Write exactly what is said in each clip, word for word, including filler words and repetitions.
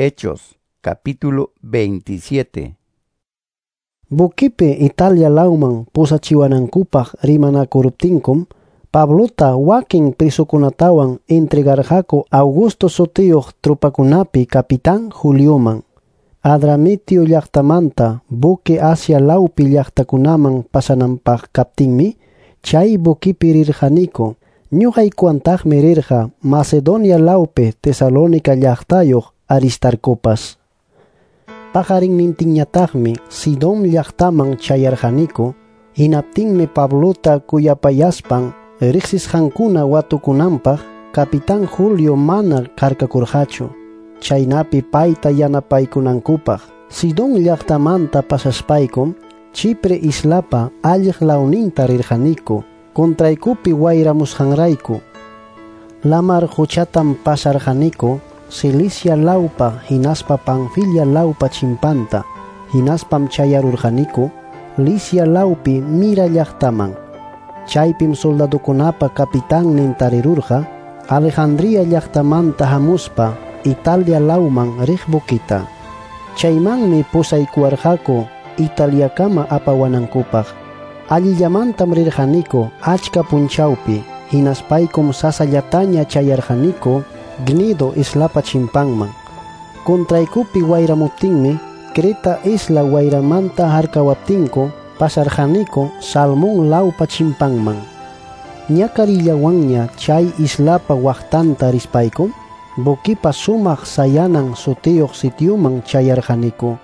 Hechos, capítulo veintisiete. Buquipi Italia lawman pusachiwanankupaq rimanakuruptinkum, Pablota wakin prisukunatawan entregarqaku Augusto sutiyuq trupakunapi capitán Julioman. Adramitio llaqtamanta buque Asia lawpi llaqtakunaman pasananpaq kaptinmi, chay buquipi rirqaniku. Ñuqaykuwantaqmi rirqa Macedonia lawpi Tesalónica llaqtayuq Aristarcopas. Paqarinnintinñataqmi Sidón llaqtaman chayarqaniku, hinaptinmi Pablota kuyapayaspan riqsisqankuna watukunanpaq capitán Julio mana harkakurqachu, chaynapi payta yanapaykunankupaq. Sidón llaqtamanta pasaspaykum Chipre islapa alliq lawninta rirqaniku, contraykupi wayramusqanrayku. Lamar quchatam pasarqaniku Cilicia lawpa hinaspa Panfilia lawpa chimpanta, hinaspam chayarurqaniku Licia lawpi Mira llaqtaman. Chaypim soldadukunapa capitannin tarirurqa Alejandría llaqtamanta hamuspa Italia lawman riq buquita. Chaymanmi pusaykuwarqaku Italiakama apawanankupaq. Allillamantam rirqaniku achka punchawpi, hinaspaykum sasallataña chayarqaniku Gnido islapa chimpanman. Contraykupi wayramuptinmi Creta isla wayramanta harkawaptinku pasarqaniku Salmón lawpa chimpanman. Ñakarillawanña chay islapa waqtanta rispaykum buquipa sumaq sayanan sutiyuq sitiuman chayarqaniku.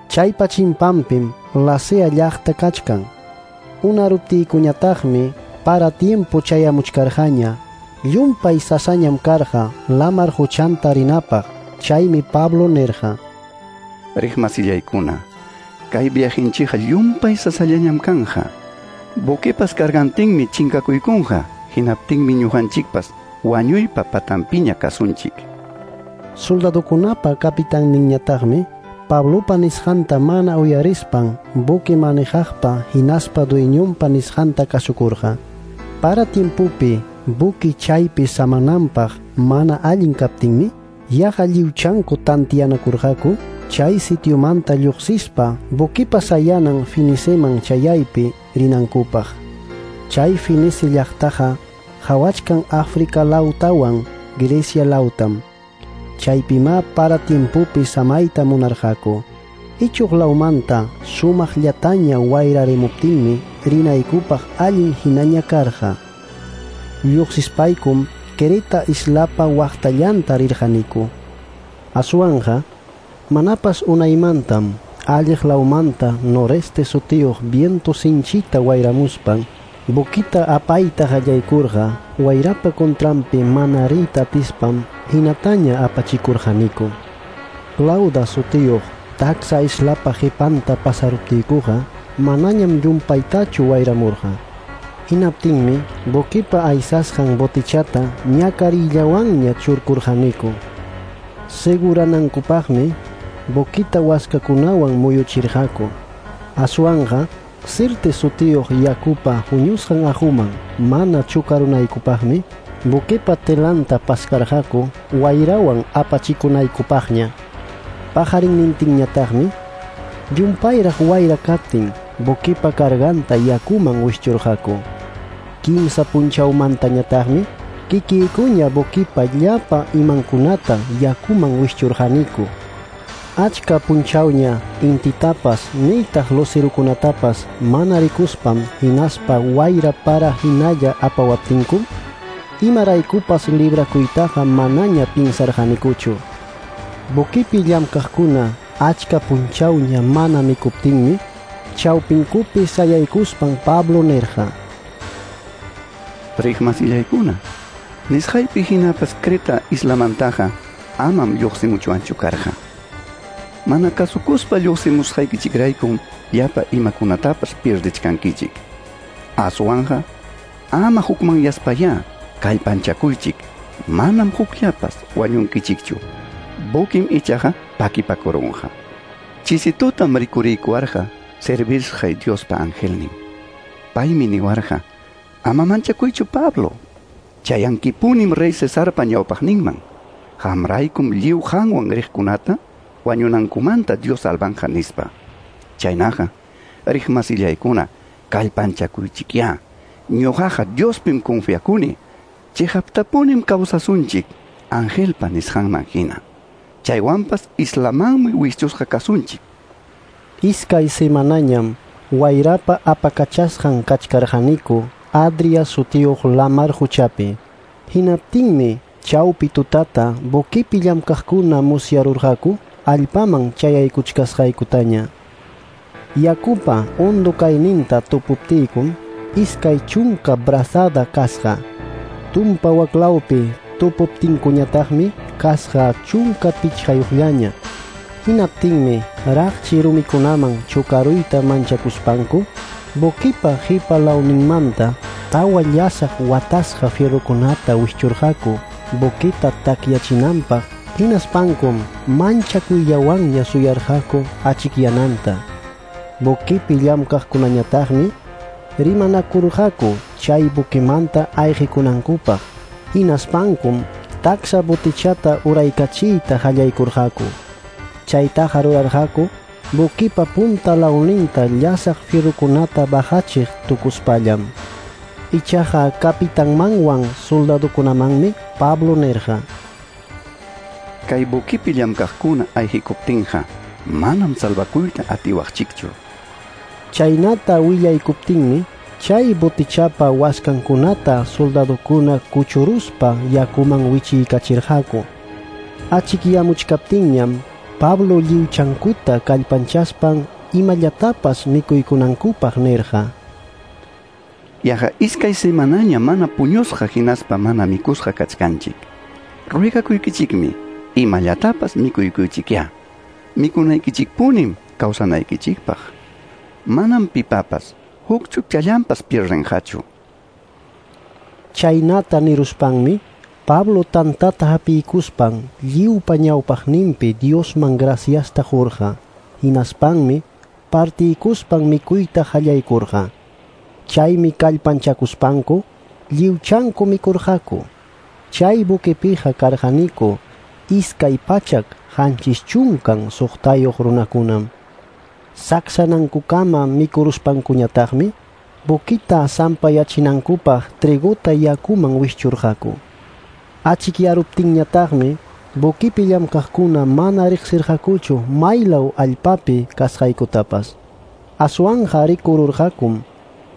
Chaypa chimpanpim Lasea llaqta kachkan. Unaruptiykuñataqmi para tiempo chayamuchkarqaña. Llumpay sasañam karqa lamar quchanta rinapaq. Chaymi Pablo nirqa: Riqmasillaykuna, kay viajinchikqa llumpay sasallañam kanja. Buquepas cargantinmi chinkakuykunqa, hinaptinmi ñuqanchikpas wañuypa patampiña kasunchik. Soldadukunapa capitanninñataqmi Pablopa nisqanta mana uyarispan buque manejaqpa hinaspa dueñonpa nisqanta kasukurqa. Para tiempopi buque chaypi samananpaq mana allin kaptinmi, yaqa lliwchanku tantiyanakurqaku chay sitiomanta lluqsispa buquipa sayanan Finiceman chayaypi rinankupaq. Chay Finice llaqtaqa hawachkan África lawtawan Grecia lawtam. Chaypima para tiempopi samayta munarqaku. Ichuq lawmanta sumaqllataña wayrarimuptinmi rinaykupaq allin hinaña karqa. Lluqsispaykum Creta islapa waqtallanta rirqaniku. Aswanqa manapas unaymantam alliq lawmanta noreste sutiyuq viento sinchita wayramuspan buquita apayta qallaykurqa. Wayrapa contranpi mana riyta atispam hinataña apachikurqaniku. Clauda sutiyuq taksa islapa qipanta pasaruptiykuqa manañam llumpaytachu wayramurqa. Hinaptinmi buquipa aysasqan botichata ñakarillawanña churkurqaniku. Seguranankupaqmi buquita waskakunawan muyuchirqaku. Aswanqa Sirte sutiyuq yakupa huñusqan aquman mana chukarunaykupaqmi buquipa telanta paskarqaku wayrawan apachikunaykupaqña. Paqarinnintinñataqmi llumpayraq wayra kaptin buquipa carganta yakuman wischurqaku. Kimsa punchawmantañataqmi kikiykuña buquipa llapa imankunata yakuman wischurqaniku. Achka punchawña intitapas nitaq lucerukunatapas mana rikuspam hinaspa wayra para hinalla apawaptinkum, imaraykupas librakuytaqa manaña pinsarqanikuchu. Buquipi llamkaqkuna achka punchawña mana mikuptinmi, chawpinkupi sayaykuspan Pablo nirqa: Riqmasillaykuna, nisqaypi hinapas Creta islamantaqa amam lluqsimuchwanchu karqa. Mana kasukuspa lluqsimusqaykichikraykum llapa imakunatapas pierdichkankichik. Aswanqa ama hukmanyaspayá kallpanchakuychik, manam hukllapas wañunkichikchu. Buquim ichaqa pakipakurunqa. Chisitutam rikuriykuwarqa servisqay Diospa angelnin. Paymi niwarqa: Ama manchakuychu, Pablo. Chayankipunim rey Cesarpa ñawpaqninman. Qamraykum lliw qanwan riqkunata wañunankumanta Dios salvanqa nispa. Chaynaqa, riqmasillaykuna, kallpanchakuychikyá. Ñuqaqa Diospim confiakuni. Chiqaptapunim kawsasunchik angelpa nisqanman hina. Chaywanpas islamanmi wischusqa kasunchik. Iskay semanañam wayrapa apakachasqan kachkarqaniku Adria sutiyuq lamar quchapi. Hinaptinmi chawpi tutata buquipi llamkaqkuna musyarurqaku allpaman chayaykuchkasqaykutaña. Yakupa hondo kayninta tupuptiykum iskay chunka brazada kasqa. Tumpa waklawpi tupuptinkuñataqmi kasqa chunka pichqayuqllaña. Hinaptinmi raqchi rumikunaman chukaruyta manchakuspanku buquipa qipa lawninmanta tawa llasaq watasqa fierrokunata wischurqaku buquita takyachinanpaq. Hinaspankum manchakuyllawanña suyarqaku achikyananta. Buquipi llamkaqkunañataqmi rimanakurqaku chay buquimanta ayqikunankupaq. Hinaspankum taksa botichata uraykachiyta qallaykurqaku. Chaytaqa rurarqaku buquipa punta lawninta llasaq fierrokunata bajachiq tukuspallam. Ichaqa kapitanmanwan soldadokunamanmi Pablo nirqa: Kay buquipi llamkaqkuna ayqikuptinqa manam salvakuyta atiwaqchikchu. Chaynata willaykuptinmi chay botichapa waskankunata soldadokuna kuchuruspa yakuman wichiykachirqaku. Achikyamuchkaptinñam Pablo lliwchankuta kallpanchaspan imallatapas mikuykunankupaq nirqa: Yaqa iskay semanaña mana puñusqa hinaspa mana mikusqa kachkanchik. Ruegakuykichikmi imallatapas mikuykuychikyá. Mikunaykichikpunim kawsanaykichikpaq. Manam pipapas huk chukchallanpas pierdenqachu. Chaynata niruspanmi Pablo tantata hapiykuspan lliwpa ñawpaqninpi Diosman graciasta qurqa. Hinaspanmi partiykuspan mikuyta qallaykurqa. Chaymi kallpanchakuspanku lliwchanku mikurqaku. Chay buquepiqa karqaniku iskay pachak qanchis chunkan suqtayuq runakunam. Saksanankukama mikuruspankuñataqmi buquita sampayachinankupaq trigota yakuman wischurqaku. Achikyaruptinñataqmi buquipi llamkaqkuna mana riqsirqakuchu maylaw allpapi kasqaykutapas. Aswanqa rikururqakum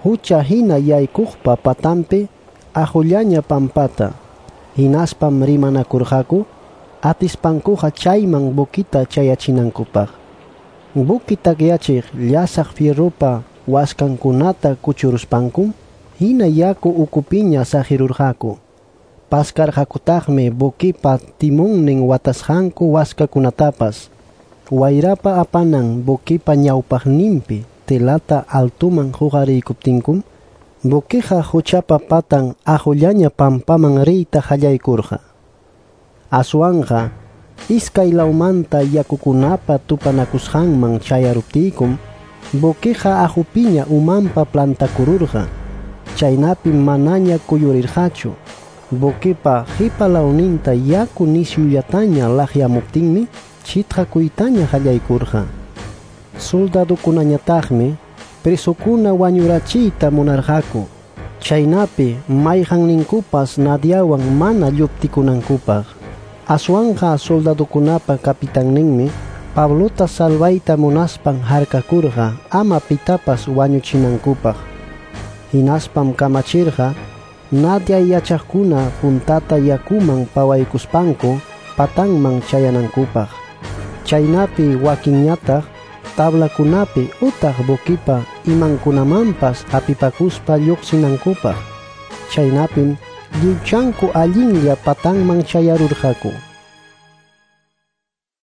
hucha hina yaykuqpa patanpi aqullaña pampata. Hinaspam rimanakurqaku atispankuqa chayman buquita chayachinankupaq. Buqui takyachiq llasaq fierropa waskankunata kuchuruspankum hina yaku ukupiña saqirurqaku. Paskarqakutaqmi buquipa timunnin watasqanku waskakunatapas. Wayrapa apanan buquipa ñawpaqninpi telata altuman huqariykuptinkum buquiqa huchapa patan aqullaña pampaman riyta qallaykurqa. Aswanqa iskay lawmanta yakukunapa tupanakusqanman chayaruptiykum buquiqa aqupiña umanpa plantakururqa. Chaynapim manaña kuyurirqachu. Buquipa qipa lawninta yaku nisyullataña laqyamuptinmi chitqakuytaña qallaykurqa. Soldadokunañataqmi presokuna wañurachiyta munarqaku, chaynapi mayqanninkupas Nadiawan mana lluptikunankupaq. Aswanqa soldadokunapa kapitanninmi Pablota salvayta munaspan harkakurqa ama pitapas wañuchinankupaq. Hinaspam kamachirqa Nadia yachaqkuna puntata yakuman pawaykuspanku patanman chayanankupaq. Chaynapi wakinñataq tablakunapi utaq buquipa imankunamanpas hapipakuspa lluqsinankupaq. Chaynapim lliwchanku allinlla patanman chayarurqaku.